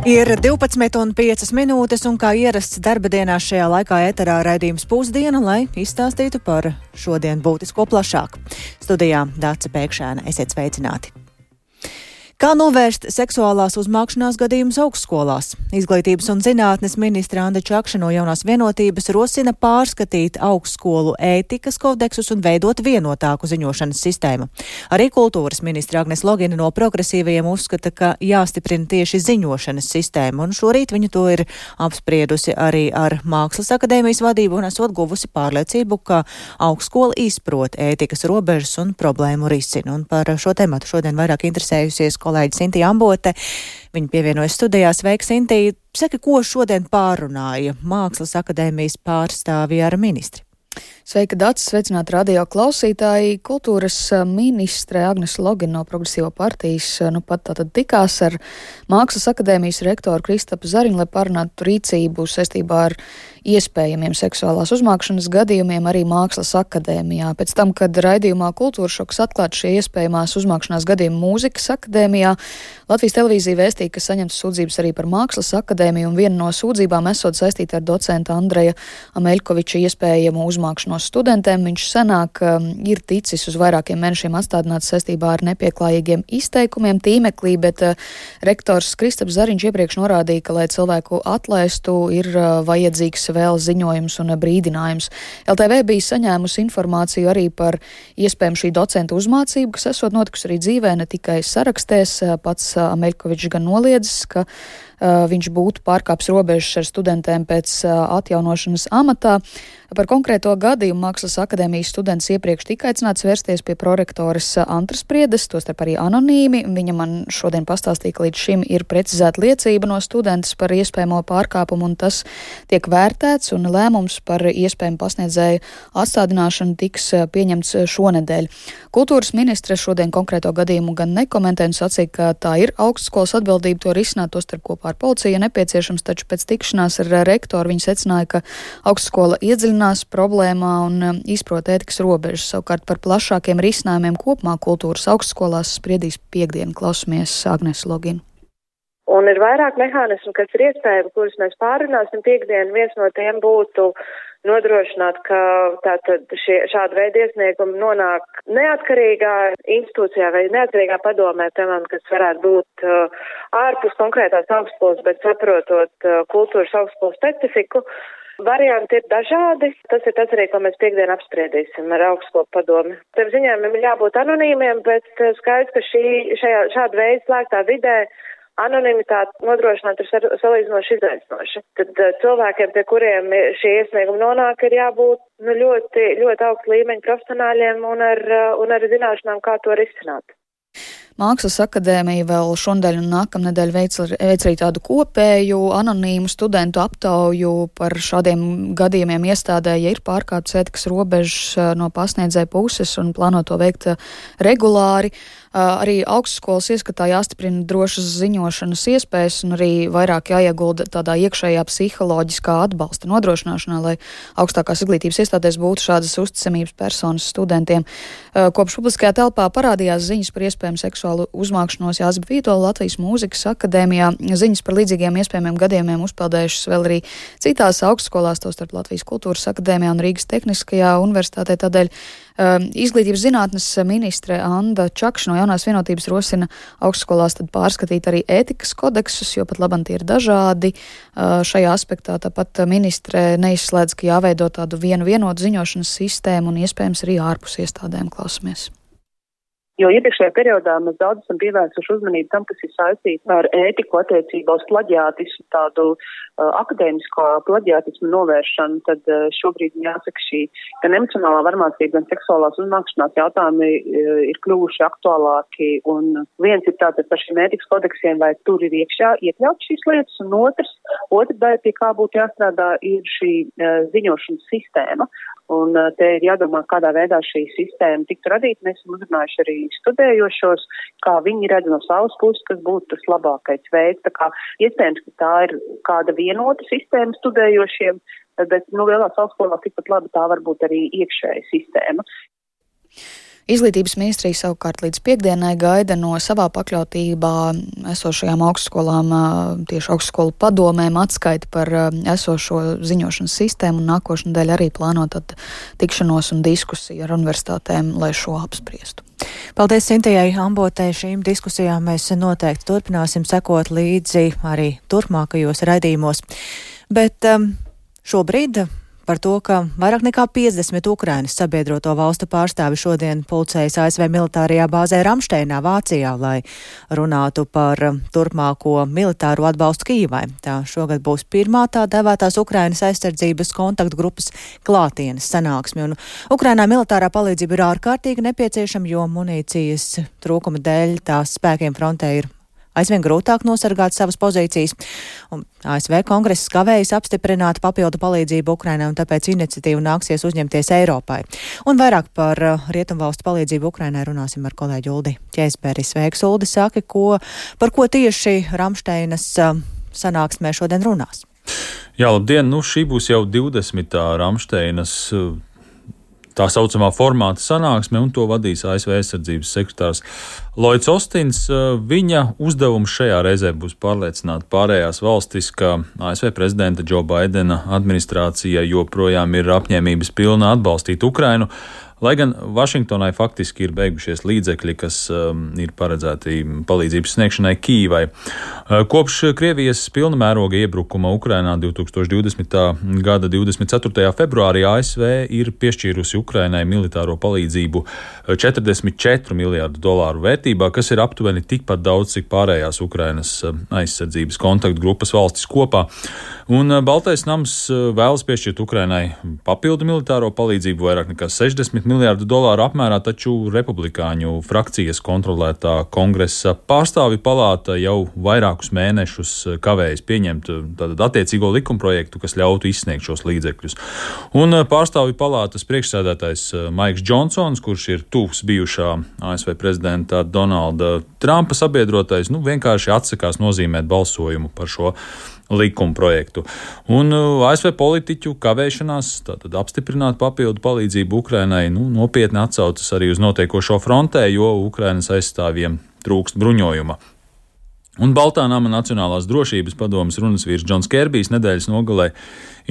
Ir 12,5 minūtes un kā ierasts darba dienās šajā laikā eterā raidījums Pusdiena, lai izstāstītu par šodien būtisko plašāk. Studijā Dāce Pēkšēna, esiet sveicināti. Kā novērst seksuālās uzmākšanās gadījumus augstskolās? Izglītības un zinātnes ministre Anda Čakša no Jaunās vienotības rosina pārskatīt augstskolu ētikas kodeksus un veidot vienotāku ziņošanas sistēmu. Arī kultūras ministre Agnes Logina no progresīvajiem uzskata, ka jāstiprina tieši ziņošanas sistēma, un šorīt viņa to ir apspriedusi arī ar Mākslas akadēmijas vadību un esot guvusi pārliecību, ka augstskola izprot ētikas robežas un problēmu risina. Un par šo tematu šodien vairāk interesējusies kolēģi Sintija Ambote. Viņa pievienojas studijā. Sveika, Sintija! Saka, ko šodien pārunāja Mākslas akadēmijas pārstāvji ar ministri? Sveika, Dācis! Sveicināti radio klausītāji! Kultūras ministre Agnes Logina no Progresīvo partijas pat tātad tikās ar Mākslas akadēmijas rektoru Kristapu Zariņu, lai parunātu rīcību saistībā ar iespējamiem seksuālās uzmākšanas gadījumiem arī Mākslas akadēmijā. Pēc tam, kad raidījumā Kultūra šoks atklāt šie iespējamās uzmākšanās gadījumi Mūzikas akadēmijā, Latvijas televīzija vēstīja, ka saņemtas sūdzības arī par Mākslas akadēmiju, un viena no sūdzībām esot saistīta ar docenta Andreja Ameļkoviča iespējamu uzmākšanos studentiem. Viņš senāk ir ticis uz vairākiem mēnešiem atstādināts saistībā ar nepieklājīgiem izteikumiem tīmeklī, bet rektors Kristaps Zariņš iepriekš norādīja, ka, lai cilvēku atlaistu, ir vajadzīgs vēl ziņojums un brīdinājums. LTV bija saņēmusi informāciju arī par iespējamu šī docenta uzmācību, kas esot notikusi arī dzīvē, ne tikai sarakstēs. Pats Ameļkovičs gan noliedzis, ka viņš būtu pārkāpis robežas ar studentiem pēc atjaunošanas amatā. Par konkrēto gadījumu Mākslas akadēmijas students iepriekš tika aicināts vērsties pie prorektoras Antras Priedes, tostarp arī anonīmi. Viņa man šodien pastāstīja, ka līdz šim ir precizēta liecība no studentes par iespējamo pārkāpumu, un tas tiek vērtēts, un lēmums par iespējamu pasniedzēju atstādināšanu tiks pieņemts šonedēļ. Kultūras ministre šodien konkrēto gadījumu gan nekomentē un sacīja, ka tā ir augstskolas atbildība to risināt, tostarp kopā ar policiju nepieciešams, taču pēc tikšanās ar rektoru viņa secināja, ka augstskola iedziļinās problēmā un izprot ētikas robežas. Savukārt par plašākiem risinājumiem kopumā kultūras augstskolās spriedīs piekdien. Klausamies Agnes Loginu. Un ir vairāk mehānismu, kas ir iespējami, kurus mēs pārunāsim piekdien. Viens no tiem būtu nodrošināt, ka tātad šāda veida iesniegumi nonāk neatkarīgā institūcijā vai neatkarīgā padomē, piemēram, kas varētu būt ārpus konkrētās augstskolas, bet saprotot kultūras augstskolas specifiku. Varianti ir dažādi. Tas ir tas arī, ko mēs piekdien apspriedīsim ar augstskolu padomi. Tev ziņojumiem ir jābūt anonīmiem, bet skaidrs, ka šāda veida slēgtā vidē anonimitāte nodrošināt ir salīdzinoši izaicinoša. Tad cilvēkiem, pie kuriem šie iesniegumi nonāk, ir jābūt ļoti, ļoti augsta līmeņa profesionāļiem un ar zināšanām, kā to risināt. Mākslas akadēmija vēl šonadēļ un nākamnedēļ veic arī tādu kopēju anonīmu studentu aptauju par šādiem gadījumiem iestādē, ja ir pārkāptas ētikas robežas no pasniedzēja puses un plāno to veikt regulāri. Arī augstskolas ieskatā jāstiprina drošas ziņošanas iespējas un arī vairāk jāiegulda tādā iekšējā psiholoģiskā atbalsta nodrošināšanā, lai augstākās izglītības iestādēs būtu šādas uzticamības personas studentiem. Kopš publiskajā telpā parādījās ziņas par iespējamu seksuālu uzmākšanos Jāzepa Vītola Latvijas Mūzikas akadēmijā. Ziņas par līdzīgiem iespējamiem gadījumiem uzpeldējušas vēl arī citās augstskolās, tostarp Latvijas Kultūras akadēmijā un Rīgas Tehniskajā universitātē. Tādēļ Izglītības zinātnes ministre Anda Čakša no Jaunās vienotības rosina augstskolās tad pārskatīt arī ētikas kodeksus, jo pat labam tie ir dažādi šajā aspektā. Tāpat ministre neizslēdz, ka jāveido tādu vienotu ziņošanas sistēmu un iespējams arī ārpus iestādēm. Klausamies. Jo iepriekšējā periodā mēs daudz esam pievērsuši uzmanību tam, kas ir saistīts ar ētiku attiecībā uz plaģiātismu, tādu akadēmisko plaģiātismu novēršanu, tad šobrīd jāsaka šī gan emocionālā varmācība, gan seksuālās uzmākšanās jautājumi ir kļuvuši aktuālāki. Un viens ir tātad par šiem ētikas kodeksiem, vai tur ir iekšā iekļaut šīs lietas, un otra daļa, pie kā būtu jāstrādā, ir šī ziņošanas sistēma. Un te ir jādomā, kādā veidā šī sistēma tiktu radīta. Mēs esam uzrunājuši arī studējošos, kā viņi redz no savas puses, kas būtu tas labākais veids. Tā kā iespējams, ka tā ir kāda vienota sistēma studējošiem, bet lielās augstskolās tikpat labi tā var būt arī iekšēja sistēma. Izglītības ministrija savukārt līdz piekdienai gaida no savā pakļautībā esošajām augstskolām, tieši augstskolu padomēm atskaiti par esošo ziņošanas sistēmu un nākošnedēļ arī plānot tikšanos un diskusiju ar universitātēm, lai šo apspriestu. Paldies Sintejai Ambotei. Šīm diskusijām mēs noteikti turpināsim sekot līdzi arī turpmākajos raidījumos. Bet šobrīd par to, ka vairāk nekā 50 Ukrainas sabiedroto valstu pārstāvi šodien pulcējas ASV militārajā bāzē Ramšteinā, Vācijā, lai runātu par turpmāko militāro atbalstu Kijivai. Tā šogad būs pirmā tā devētās Ukrainas aizsardzības kontaktgrupas klātienes sanāksme, un Ukrainā militārā palīdzība ir ārkārtīgi nepieciešama, jo munīcijas trūkuma dēļ tās spēkiem frontē ir aizvien grūtāk nosargāt savas pozīcijas, un ASV kongress kavējas apstiprināt papildu palīdzību Ukrainai, un tāpēc iniciatīvu nāksies uzņemties Eiropai. Un vairāk par rietumvalstu palīdzību Ukrainai runāsim ar kolēģi Uldi Ķēzberi. Sveiks, Uldi, saki, par ko tieši Ramšteinas sanāksmē šodien runās? Jā, labdien, šī būs jau 20. Ramšteinas tā saucamā formāta sanāksme, un to vadīs ASV aizsardzības sekretārs Lloyds Ostins. Viņa uzdevums šajā reizē būs pārliecināt pārējās valstis, ka ASV prezidenta Džo Baidena administrācija joprojām ir apņēmības pilna atbalstīt Ukrainu, lai gan Vašingtonai faktiski ir beigušies līdzekļi, kas ir paredzēti palīdzības sniegšanai Kijivai. Kopš Krievijas pilna mēroga iebrukuma Ukrainā 2020. gada 24. februārī ASV ir piešķīrusi Ukrainai militāro palīdzību $44 miljārdu vērtībā, kas ir aptuveni tikpat daudz, cik pārējās Ukrainas aizsardzības kontaktgrupas valstis kopā. Un Baltais nams vēlas piešķirt Ukrainai papildu militāro palīdzību vairāk nekā $60 miljārdu apmērā, taču republikāņu frakcijas kontrolētā kongresa pārstāvju palāta jau vairākus mēnešus kavējas pieņemt tātad attiecīgo likumprojektu, kas ļautu izsniegt šos līdzekļus. Un pārstāvju palātas priekšsēdētājs Maiks Džonsons, kurš ir tuvs bijušā ASV prezidenta Donalda Trumpa sabiedrotais, vienkārši atsakās nozīmēt balsojumu par šo likumprojektu. Un ASV politiķu kavēšanās tātad apstiprināt papildu palīdzību Ukrainai nopietni atsaucas arī uz notiekošo frontē, jo Ukrainas aizstāvjiem trūkst bruņojuma. Un Baltā nama Nacionālās drošības padomes runas vīrs Džons Kerbijs nedēļas nogalē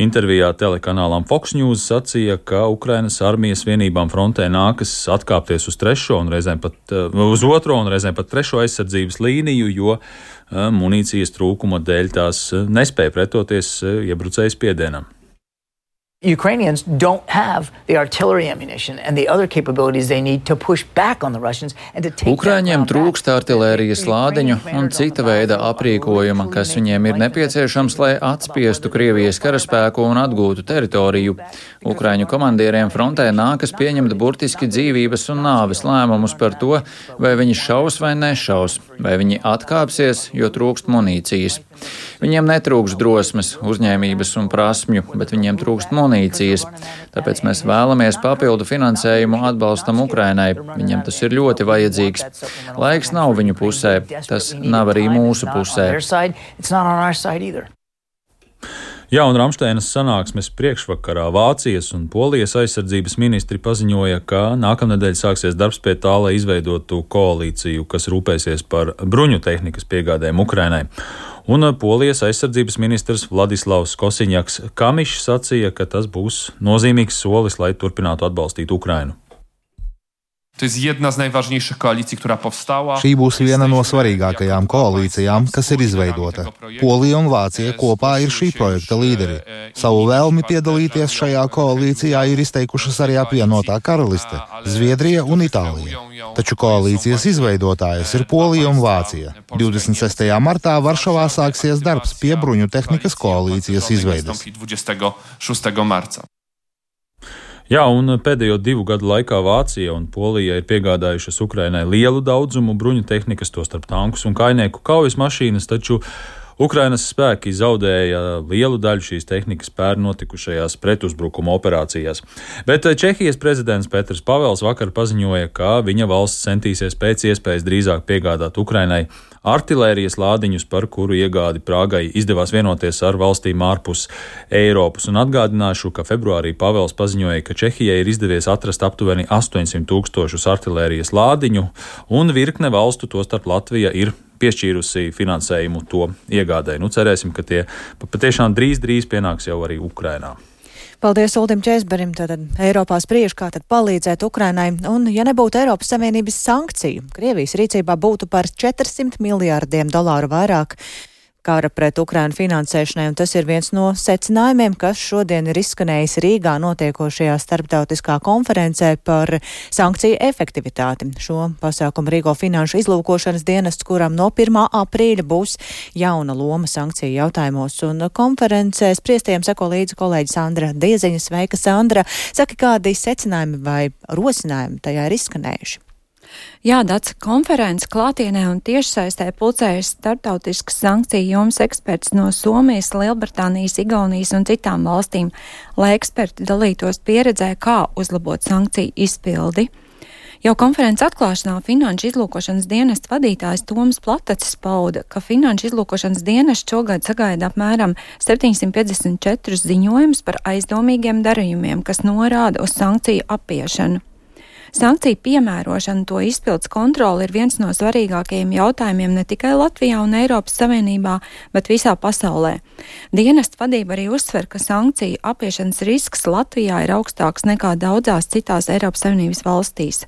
intervijā telekanālām Fox News sacīja, ka Ukrainas armijas vienībām frontē nākas atkāpties uz uz otro un reizēm pat trešo aizsardzības līniju, jo munīcijas trūkuma dēļ tās nespēja pretoties iebrucēju spiedienam. Ukrainians don't have the artillery ammunition and the other capabilities they need to push back on the Russians and to take Ukraiņiem trūkst artilērijas lādiņu un cita veida aprīkojuma, kas viņiem ir nepieciešams, lai atspiestu Krievijas karaspēku un atgūtu teritoriju. Ukraiņu komandieriem frontē nākas pieņemt burtiski dzīvības un nāves lēmumus par to, vai viņi šaus vai nešaus, vai viņi atkāpsies, jo trūkst munīcijas. Viņiem netrūkst drosmes, uzņēmības un prasmju, bet viņiem trūkst munīcijas. Tāpēc mēs vēlamies papildu finansējumu atbalstam Ukrainai. Viņiem tas ir ļoti vajadzīgs. Laiks nav viņu pusē, tas nav arī mūsu pusē. Jā, un Ramšteinas sanāksmes priekšvakarā Vācijas un Polijas aizsardzības ministri paziņoja, ka nākamnedēļ sāksies darbs pie tā, lai izveidotu koalīciju, kas rūpēsies par bruņu tehnikas piegādēm Ukrainai. Un Polijas aizsardzības ministrs Vladislavs Kosiņaks Kamišs sacīja, ka tas būs nozīmīgs solis, lai turpinātu atbalstīt Ukrainu. Šī būs viena no svarīgākajām koalīcijām, kas ir izveidota. Polija un Vācija kopā ir šī projekta līderi. Savu vēlmi piedalīties šajā koalīcijā ir izteikušas arī apvienotā karaliste, Zviedrija un Itālija. Taču koalīcijas izveidotājas ir Polija un Vācija. 26. martā Varšavā sāksies darbs pie bruņu tehnikas koalīcijas izveides. Jā, un pēdējo 2 gadu laikā Vācija un Polija ir piegādājušas Ukrainai lielu daudzumu bruņu tehnikas, tostarp tankus un kainieku kaujas mašīnas, taču Ukrainas spēki zaudēja lielu daļu šīs tehnikas pērn notikušajās pretuzbrukuma operācijās. Bet Čehijas prezidents Petrs Pavels vakar paziņoja, ka viņa valsts centīsies pēc iespējas drīzāk piegādāt Ukrainai artilērijas lādiņus, par kuru iegādi Prāgai izdevās vienoties ar valstīm ārpus Eiropas. Un atgādināšu, ka februārī Pavels paziņoja, ka Čehijai ir izdevies atrast aptuveni 800 000 artilērijas lādiņu, un virkne valstu, tostarp Latvija, ir piešķīrusi finansējumu to iegādai. Cerēsim, ka tie patiešām drīz pienāks jau arī Ukrainā. Paldies Uldim Čēzberim, tātad Eiropā spriež, kā tad palīdzēt Ukrainai, un ja nebūtu Eiropas Savienības sankciju, Krievijas rīcībā būtu par $400 miljārdiem vairāk kara pret Ukrainu finansēšanai, un tas ir viens no secinājumiem, kas šodien ir izskanējis Rīgā notiekošajā starptautiskā konferencē par sankciju efektivitāti. Šo pasākumu rīko Finanšu izlūkošanas dienests, kuram no 1. aprīļa būs jauna loma sankciju jautājumos, un konferencē spriestiem seko līdzi kolēģi Sandra Dieziņa. Sveika, Sandra! Saki, kādi secinājumi vai rosinājumi tajā ir izskanējuši? Jā, Dace, konferences klātienē un tiešsaistē pulcējas starptautiskas sankciju jomas eksperts no Somijas, Lielbritānijas, Igaunijas un citām valstīm, lai eksperti dalītos pieredzē, kā uzlabot sankciju izpildi. Jau konferences atklāšanā Finanšu izlūkošanas dienesta vadītājs Toms Platacis pauda, ka Finanšu izlūkošanas dienests šogad sagaida apmēram 754 ziņojumus par aizdomīgiem darījumiem, kas norāda uz sankciju apiešanu. Sankciju piemērošana, to izpildes kontrole ir viens no svarīgākajiem jautājumiem ne tikai Latvijā un Eiropas Savienībā, bet visā pasaulē. Dienesta vadība arī uzsver, ka sankciju apiešanas risks Latvijā ir augstāks nekā daudzās citās Eiropas Savienības valstīs.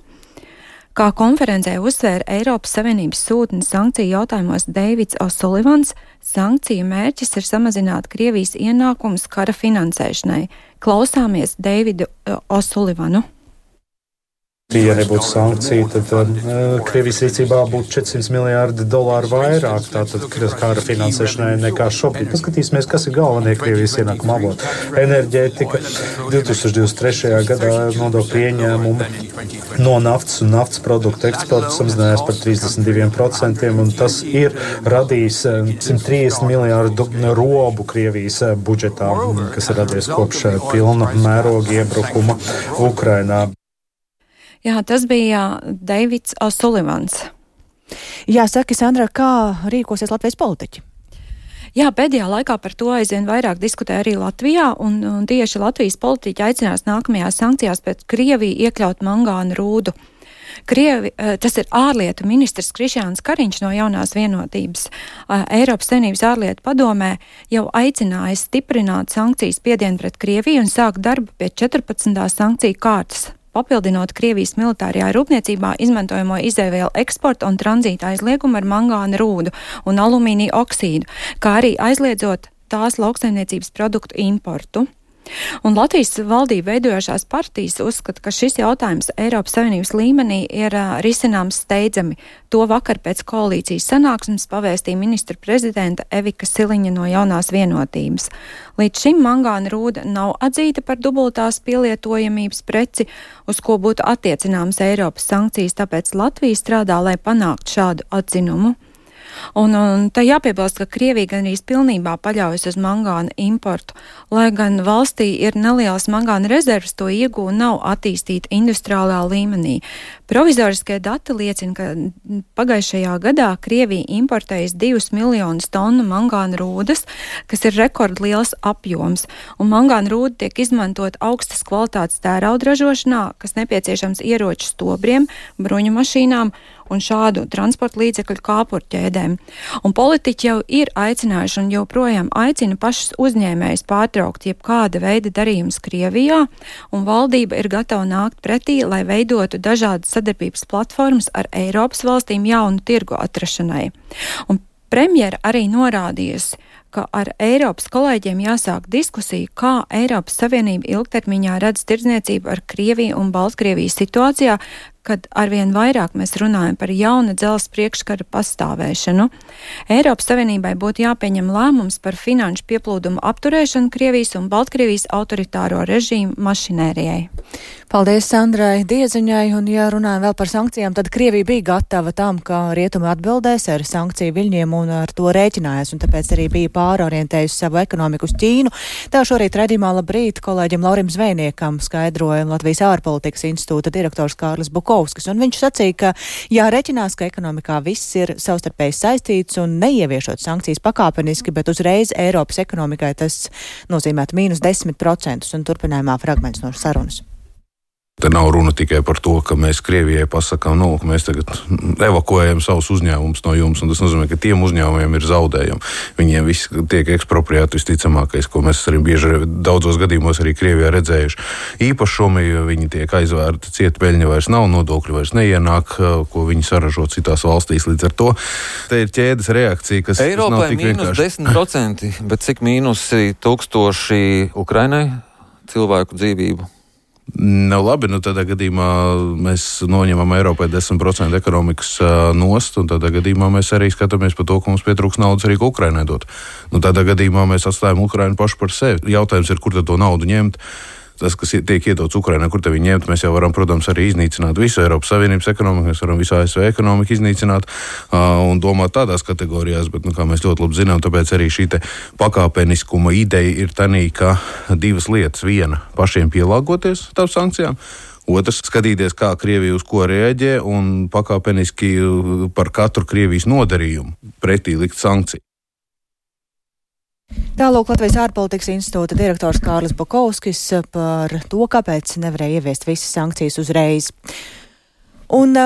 Kā konferencē uzsvēra Eiropas Savienības sūtnis sankciju jautājumos Deivids O'Sullivans, sankciju mērķis ir samazināt Krievijas ienākumus kara finansēšanai. Klausāmies Deividu O'Sullivanu. Ja nebūtu sankcija, tad Krievijas rīcībā būtu $400 miljārdi vairāk tātad kara finansēšanai nekā šobrīd. Paskatīsimies, kas ir galvenie Krievijas ienākuma avoti. Enerģētika 2023. gadā nodokļu ieņēmumi no naftas un naftas produktu eksporta samazinājās par 32%, un tas ir radījis 130 miljārdu robu Krievijas budžetā, kas ir radies kopš pilna mēroga iebrukuma Ukrainā. Jā, tas bija Deivids O'Sullivans. Jā, saki, Sandra, kā rīkosies Latvijas politiķi? Jā, pēdējā laikā par to aizvien vairāk diskutē arī Latvijā, un tieši Latvijas politiķi aicinās nākamajās sankcijās pēc Krieviju iekļaut mangāna rūdu. Tas ir ārlietu ministrs Krišjāns Kariņš no Jaunās vienotības. Eiropas Savienības ārlietu padomē jau aicināja stiprināt sankcijas spiedienu pret Krieviju un sākt darbu pie 14. sankciju kārtas, papildinot Krievijas militārajā rūpniecībā izmantojamo izēvielu eksporta un tranzīta aizliegumu ar mangāna rūdu un alumīnija oksīdu, kā arī aizliedzot tās lauksaimniecības produktu importu. Un Latvijas valdība veidojošās partijas uzskata, ka šis jautājums Eiropas Savienības līmenī ir risināms steidzami. To vakar pēc koalīcijas sanāksmes pavēstīja ministra prezidenta Evika Siliņa no Jaunās vienotības. Līdz šim mangāna rūda nav atzīta par dubultās pielietojamības preci, uz ko būtu attiecināmas Eiropas sankcijas, tāpēc Latvija strādā, lai panāktu šādu atzinumu. Un te jāpiebilst, ka Krievija gan arī pilnībā paļaujas uz mangāna importu, lai gan valstī ir nelielas mangāna rezervas, to iegūta nav attīstīta industriālā līmenī. Provizoriskie dati liecina, ka pagājušajā gadā Krievija importējas 2 miljonus tonu mangāna rūdas, kas ir rekordliels apjoms, un mangāna rūda tiek izmantot augstas kvalitātes tērauda ražošanā, kas nepieciešams ieroču stobriem, bruņu mašīnām un šādu transporta līdzekļu kāpurķēdēm. Un politiķi jau ir aicinājuši un joprojām aicina pašus uzņēmējus pārtraukt jebkāda veida darījumus Krievijā, un valdība ir gatava nākt pretī, lai veidotu dažādas sadarbības platformas ar Eiropas valstīm jaunu tirgu atrašanai. Un premjera arī norādījusi, ka ar Eiropas kolēģiem jāsāk diskusija, kā Eiropas Savienība ilgtermiņā redz tirdzniecību ar Krieviju un Baltkrieviju situācijā, kad arvien vairāk mēs runājam par jauna dzelzs priekškara pastāvēšanu. Eiropas Savienībai būtu jāpieņem lēmums par finanšu pieplūdumu apturēšanu Krievijas un Baltkrievijas autoritāro režīmu mašinērijai. Paldies Sandrai Dieziņai, un ja runājam vēl par sankcijām, tad Krievija bija gatava tam, ka rietumi atbildēs ar sankciju viļņiem un ar to rēķinājās, un tāpēc arī bija pārorientējusi savu ekonomiku uz Ķīnu. Tā šorīt redzījumā labrīt kolēģim Laurim Zvejniekam skaidroja Latvijas ārpolitikas institūta direktors Kārlis Bukovskis, un viņš sacīja, ka jārēķinās, ka ekonomikā viss ir savstarpēji saistīts un neieviešot sankcijas pakāpeniski, bet uzreiz Eiropas ekonomikai tas nozīmētu -10%, un turpinājumā fragments no sarunas. Te nav runa tikai par to, ka mēs Krievijai pasakām, ka mēs tagad evakuējam savus uzņēmumus no jums, un tas nozīmē, ka tiem uzņēmumiem ir zaudējumi. Viņiem viss tiek ekspropriēti visticamākais, ko mēs arī bieži daudzos gadījumos arī Krievijā redzējuši. Īpašumi, viņi tiek aizvērti, ciet peļņa vairs nav, nodokļi vairs neienāk, ko viņi saražo citās valstīs. Līdz ar to te ir ķēdes reakcija, kas nav tik vienkārši. Eiropai -10%, bet cik mīnusi 1000 Ukrainai cilvēku dzīvību? Labi, tādā gadījumā mēs noņemam Eiropai 10% ekonomikas nost, un tādā gadījumā mēs arī skatāmies par to, ka mums pietrūks naudas arī Ukrainai dot. Tādā gadījumā mēs atstājam Ukrainu pašu par sevi. Jautājums ir, kur tad to naudu ņemt? Tas, kas tiek iedots Ukrainai, kur te viņi ņemt, mēs jau varam, protams, arī iznīcināt visu Eiropas Savienības ekonomiku, mēs varam visu ASV ekonomiku iznīcināt un domāt tādās kategorijās, bet, kā mēs ļoti labi zinām, tāpēc arī šī te pakāpeniskuma ideja ir tanī, ka divas lietas. Viena, pašiem pielāgoties tām sankcijām. Otrs, skatīties, kā Krievija uz ko reaģē un pakāpeniski par katru Krievijas nodarījumu pretī likt sankciju. Tālūk Latvijas ārpolitikas institūta direktors Kārlis Bukovskis par to, kāpēc nevarēja ieviest visas sankcijas uzreiz. Un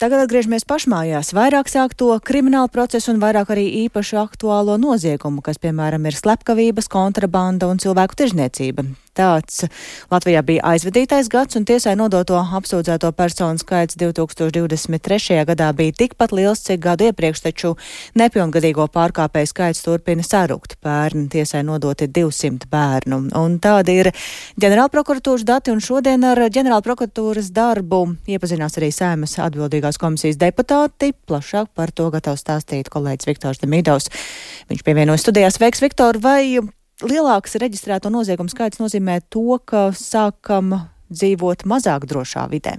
tagad atgriežamies pašmājās. Vairāk sākto kriminālu procesu un vairāk arī īpaši aktuālo noziegumu, kas, piemēram, ir slepkavības, kontrabanda un cilvēku tirzniecība. Tāds Latvijā bija aizvadītais gads, un tiesai nodoto apsūdzēto personu skaits 2023. gadā bija tikpat liels, cik gadu iepriekš, taču nepilngadīgo pārkāpēju skaits turpina sarukt. Pērn tiesai nodoti 200 bērnu. Un tādi ir ģenerālprokuratūras dati, un šodien ar ģenerālprokuratūras darbu iepazinās arī Saeimas atbildīgās komisijas deputāti. Plašāk par to gatavs stāstīt kolēģis Viktors Demidovs. Viņš pievienojas studijās. Sveiks, Viktor, vai lielāks reģistrēto noziegumu skaits nozīmē to, ka sākam dzīvot mazāk drošā vidē?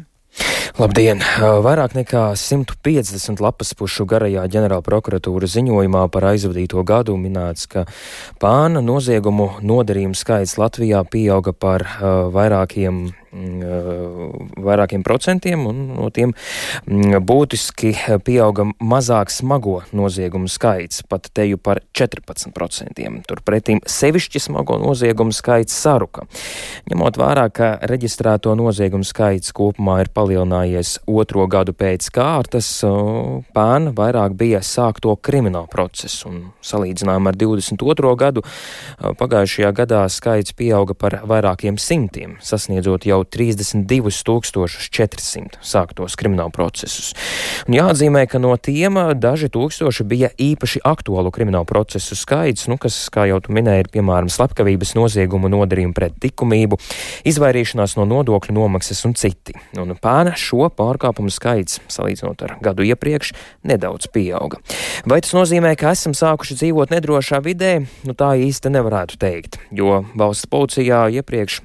Labdien! Vairāk nekā 150 lapas pušu garajā ģenerālprokuratūras ziņojumā par aizvadīto gadu minēts, ka pāna noziegumu nodarījumu skaits Latvijā pieauga par vairākiem procentiem, un no tiem būtiski pieauga mazāk smago noziegumu skaits, pat teju par 14%. Turpretīm sevišķi smago noziegumu skaits saruka. Ņemot vērā, ka reģistrēto noziegumu skaits kopumā ir palielinājies otro gadu pēc kārtas, pērn vairāk bija sākto kriminālu procesu, un salīdzinājumā ar 22. gadu pagājušajā gadā skaits pieauga par vairākiem simtiem, sasniedzot jau 32,400 sāktos kriminālu procesus. Un jāatzīmē, ka no tiem daži tūkstoši bija īpaši aktuālu kriminālu procesu skaits, kas, kā jau tu minēji, ir piemēram slepkavības noziegumu nodarījumu pret likumību, izvairīšanās no nodokļu nomaksas un citi. Un pērn šo pārkāpumu skaits, salīdzinot ar gadu iepriekš, nedaudz pieauga. Vai tas nozīmē, ka esam sākuši dzīvot nedrošā vidē? Tā īsti nevarētu teikt, jo valsts policijā iepriekš,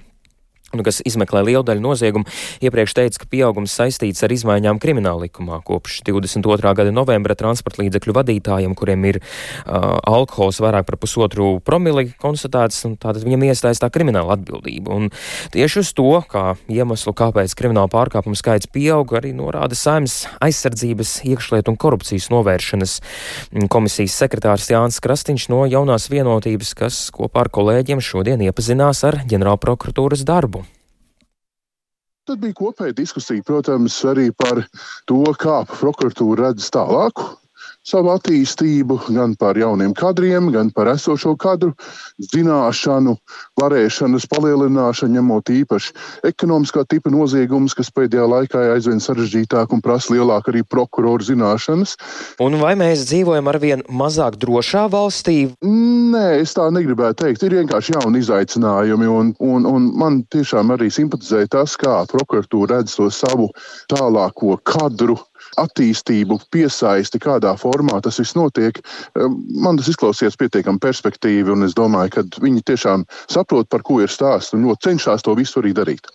kas izmeklē lielu daļu noziegumu, iepriekš teica, ka pieaugums saistīts ar izmaiņām krimināla likumā. Kopš 22. gada novembra transporta līdzekļu vadītājiem, kuriem ir alkohols vairāk par 1,5 promili konstatēts, un tātad viņam iestājas tā krimināla atbildība. Un tieši uz to, kā iemeslu, kāpēc krimināla pārkāpumu skaits pieauga, arī norāda Saeimas aizsardzības, iekšlietu un korupcijas novēršanas komisijas sekretārs Jānis Krastiņš no Jaunās vienotības, kas kopā ar kolēģiem šodien iepazinās ar ģenerālprokuratūras darbu. Tad bija kopēja diskusija, protams, arī par to, kā prokuratūra redz tālāku savu attīstību, gan par jauniem kadriem, gan par esošo kadru zināšanu, varēšanas palielināšanu, ņemot īpaši ekonomiskā tipa noziegumus, kas pēdējā laikā ir aizvien sarežģītāk un prasa lielāk arī prokuroru zināšanas. Un vai mēs dzīvojam arvien mazāk drošā valstī? Nē, es tā negribētu teikt. Ir vienkārši jauni izaicinājumi, un man tiešām arī simpatizēja tas, kā prokuratūra redz to savu tālāko kadru attīstību, piesaisti, kādā formā tas viss notiek. Man tas izklausījās pietiekami perspektīvi, un es domāju, ka viņi tiešām saprot, par ko ir stāsts, un ļoti cenšas to visu arī darīt.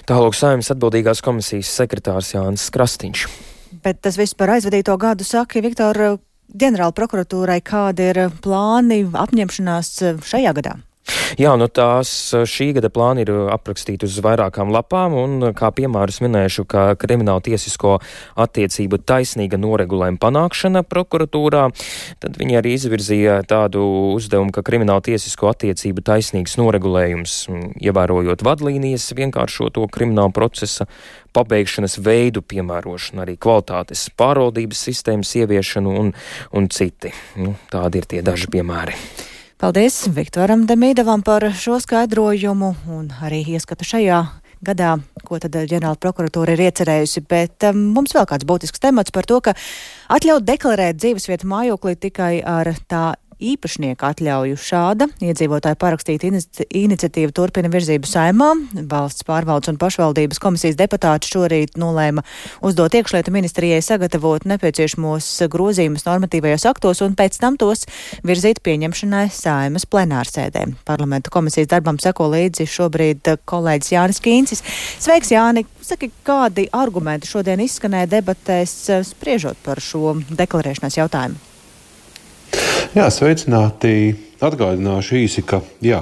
Tālāk Saeimas atbildīgās komisijas sekretārs Jānis Krastīņš. Bet tas viss par aizvadīto gadu saka, Viktor, ģenerāla prokuratūrai, kādi ir plāni, apņemšanās šajā gadā? Jā, šī gada plāni ir aprakstīti uz vairākām lapām, un kā piemērus minēšu, ka krimināla tiesisko attiecību taisnīga noregulējuma panākšana prokuratūrā, tad viņi arī izvirzīja tādu uzdevumu, ka krimināla tiesisko attiecību taisnīgs noregulējums, ievērojot vadlīnijas, vienkāršoto krimināla procesa pabeigšanas veidu piemērošanu, arī kvalitātes pārvaldības sistēmas ieviešanu un citi. Tādi ir tie daži piemēri. Paldies Viktoram Demīdovam par šo skaidrojumu un arī ieskatu šajā gadā, ko tad ģenerāla prokuratūra ir iecerējusi. Bet mums vēl kāds būtisks temats par to, ka atļaut deklarēt dzīvesvietu mājoklī tikai ar tā īpašnieka atļauju. Šāda iedzīvotāja parakstīta iniciatīva turpina virzību Saeimā. Valsts pārvaldes un pašvaldības komisijas deputāti šorīt nolēma uzdot iekšlietu ministrijai sagatavot nepieciešamos grozījumus normatīvajos aktos un pēc tam tos virzīt pieņemšanai Saeimas plenārsēdē. Parlamenta komisijas darbam seko līdzi šobrīd kolēģis Jānis Kīncis. Sveiks, Jāni! Saki, kādi argumenti šodien izskanēja debatēs spriežot par šo deklarēšanās jautājumu? Jā, sveicināti! Atgādināšu īsi, ka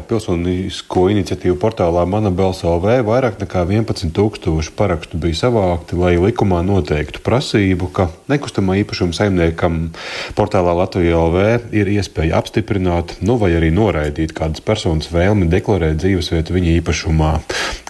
pilsonisko iniciatīvu portālā Mana balss LV vairāk nekā 11 000 parakstu bija savākti, lai likumā noteiktu prasību, ka nekustamā īpašuma saimniekam portālā Latvija LV ir iespēja apstiprināt, vai arī noraidīt kādas personas vēlmi deklarēt dzīvesvietu viņa īpašumā.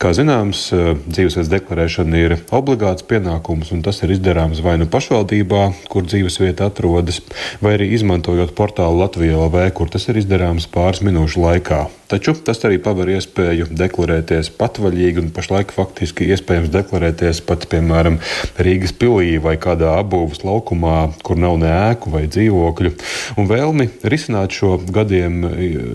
Kā zināms, dzīvesvietas deklarēšana ir obligāts pienākums, un tas ir izdarāms vai nu pašvaldībā, kur dzīvesvieta atrodas, vai arī izmantojot portālu Latvija LV, kur tas ir izdarāms pāris minūšu laikā. Taču tas arī paver iespēju deklarēties patvaļīgi, un pašlaik faktiski iespējams deklarēties pat, piemēram, Rīgas pilī vai kādā apbūves laukumā, kur nav ne ēku vai dzīvokļu. Un vēlmi risināt šo gadiem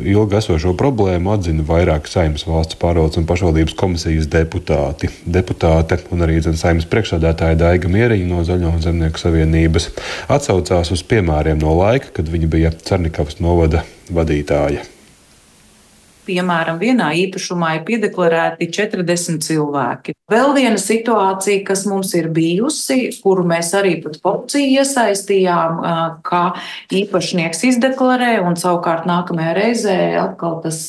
ilgi esošo problēmu atzina vairāk Saeimas valsts pārvaldes un pašvaldības komisijas deputāte un arī Saeimas priekšsēdētāja Daiga Mieriņa no Zaļo un Zemnieku savienības atsaucās uz piemēriem no laika, kad viņa bija Cernikavas novada vadītāja. Piemēram, vienā īpašumā ir piedeklarēti 40 cilvēki. Vēl viena situācija, kas mums ir bijusi, kuru mēs arī pat policiju iesaistījām, ka īpašnieks izdeklarē un savukārt nākamajā reizē atkal tas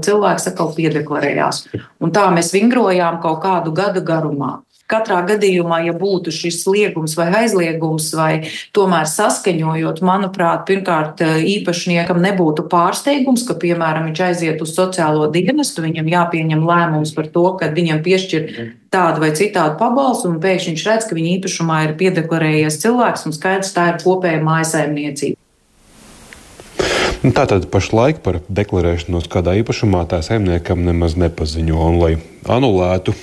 cilvēks atkal piedeklarējās. Un tā mēs vingrojām kaut kādu gadu garumā. Katrā gadījumā, ja būtu šis liegums vai aizliegums, vai tomēr saskaņojot, manuprāt, pirmkārt īpašniekam nebūtu pārsteigums, ka, piemēram, viņš aiziet uz sociālo dienestu, viņam jāpieņem lēmums par to, ka viņam piešķir tādu vai citādu pabalstu, un pēkšņi viņš redz, ka viņa īpašumā ir piedeklarējies cilvēks, un skaidrs, tā ir kopēja mājasaimniecība. Tātad pašlaik par deklarēšanos kādā īpašumā tā saimniekam nemaz nepaziņo, un lai anulētu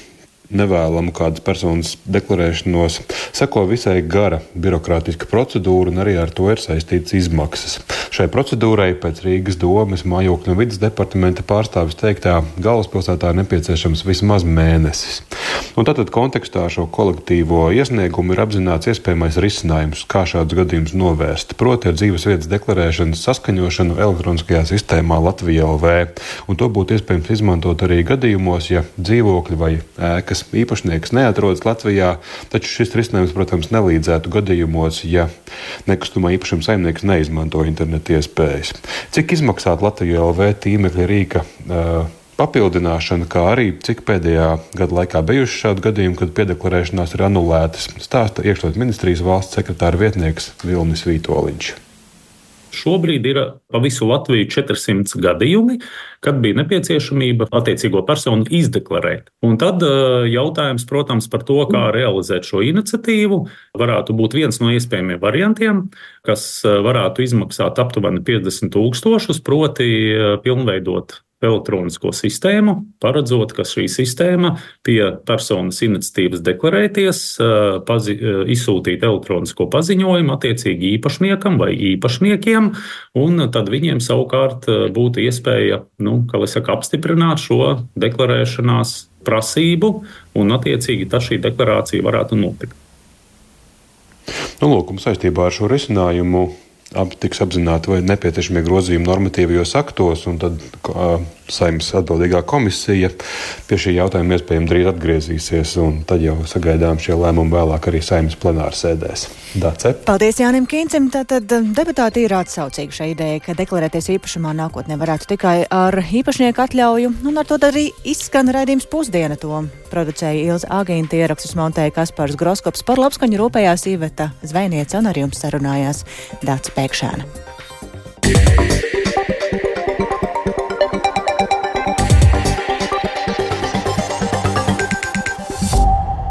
nevēlamu kādas personas deklarēšanos, seko visai gara birokrātiska procedūra, un arī ar to ir saistītas izmaksas. Šai procedūrai pēc Rīgas domes mājokļu un vides departamenta pārstāvis teiktā galvaspilsētā nepieciešams vismaz mēnesis. Un tātad kontekstā šo kolektīvo iesniegumu ir apzināts iespējamais risinājums, kā šādus gadījumus novērst. Proti ar dzīvesvietas deklarēšanas saskaņošanu elektroniskajā sistēmā Latvija LV. Un to būtu iespējams izmantot arī gadījumos, ja dzīvokļi vai ēkas īpašnieks neatrodas Latvijā, taču šis risinājums, protams, nelīdzētu gadījumos, ja nekustamā īpašuma saimnieks neizmanto internetu iespējas. Cik izmaksāt Latvija LV tīmekļa rīka papildināšana, kā arī cik pēdējā gada laikā bijuši šādi gadījumi, kad piedeklarēšanās ir anulētas, stāsta iekšlietu ministrijas valsts sekretāra vietnieks Vilnis Vītoliņš. Šobrīd ir pa visu Latviju 400 gadījumi, kad bija nepieciešamība attiecīgo personu izdeklarēt. Un tad jautājums, protams, par to, kā realizēt šo iniciatīvu, varētu būt viens no iespējamiem variantiem, kas varētu izmaksāt aptuveni 50 000, proti pilnveidot elektronisko sistēmu, paredzot, ka šī sistēma pie personas iniciatīvas deklarēties, izsūtīt elektronisko paziņojumu attiecīgi īpašniekam vai īpašniekiem, un tad viņiem savukārt būtu iespēja, apstiprināt šo deklarēšanās prasību, un attiecīgi tad šī deklarācija varētu notikt. Lūk, saistībā ar šo risinājumu tiks apzināti vai nepieciešamie grozījumi normatīvajos aktos, un tad Saeimas atbildīgā komisija pie šī jautājuma iespējami drīz atgriezīsies, un tad jau sagaidām šie lēmumi vēlāk arī Saeimas plenārsēdēs. Dace? Paldies Jānim Kīncim. Tātad deputāti ir atsaucīgi šai idejai, ka deklarēties īpašumā nākotnē varētu tikai ar īpašnieku atļauju, un ar to arī izskan raidījums Pusdiena. To producēja Ilze Agīnta, ierakstus montēja Kaspars Groskops, par labskaņu rūpējās Iveta Zvejniece, un ar jums sarunājās Dāca Pēkšēna.